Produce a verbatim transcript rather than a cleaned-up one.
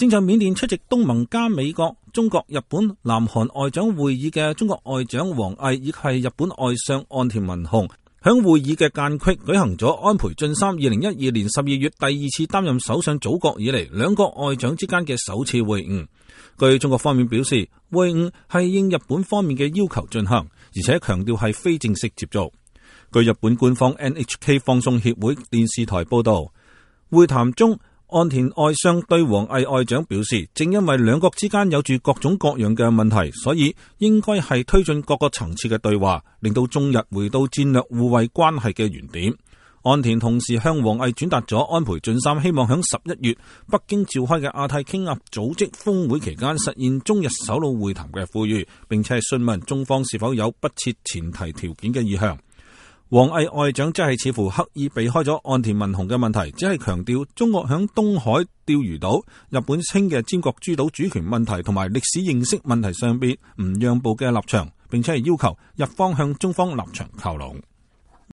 正在緬甸出席東盟加美國、中國、日本、南韓外長會議嘅中國外長王毅以及係日本外相岸田文雄，響會議嘅間隙舉行咗安倍晉三二零一二年十二月第二次擔任首相組閣以嚟兩國外長之間嘅首次會晤。據中國方面表示，會晤係應日本方面嘅要求進行，而且強調係非正式接觸。據日本官方 N H K 放送協會電視台報道，會談中岸田外相對王毅外長表示，正因為兩國之間有住各種各樣嘅問題，所以應該係推進各個層次嘅對話，令到中日回到戰略互惠關係嘅原點。岸田同時向王毅轉達咗安倍晉三希望響十一月北京召開嘅亞太經合組織峰會期間實現中日首腦會談嘅呼籲，並且係詢問中方是否有不設前提條件嘅意向。王毅外長即係似乎刻意避開咗岸田文雄嘅問題，只係強調中國響東海釣魚島、日本稱嘅尖閣諸島主權問題同埋歷史認識問題上邊唔讓步嘅立場，並且係要求日方向中方立場靠攏。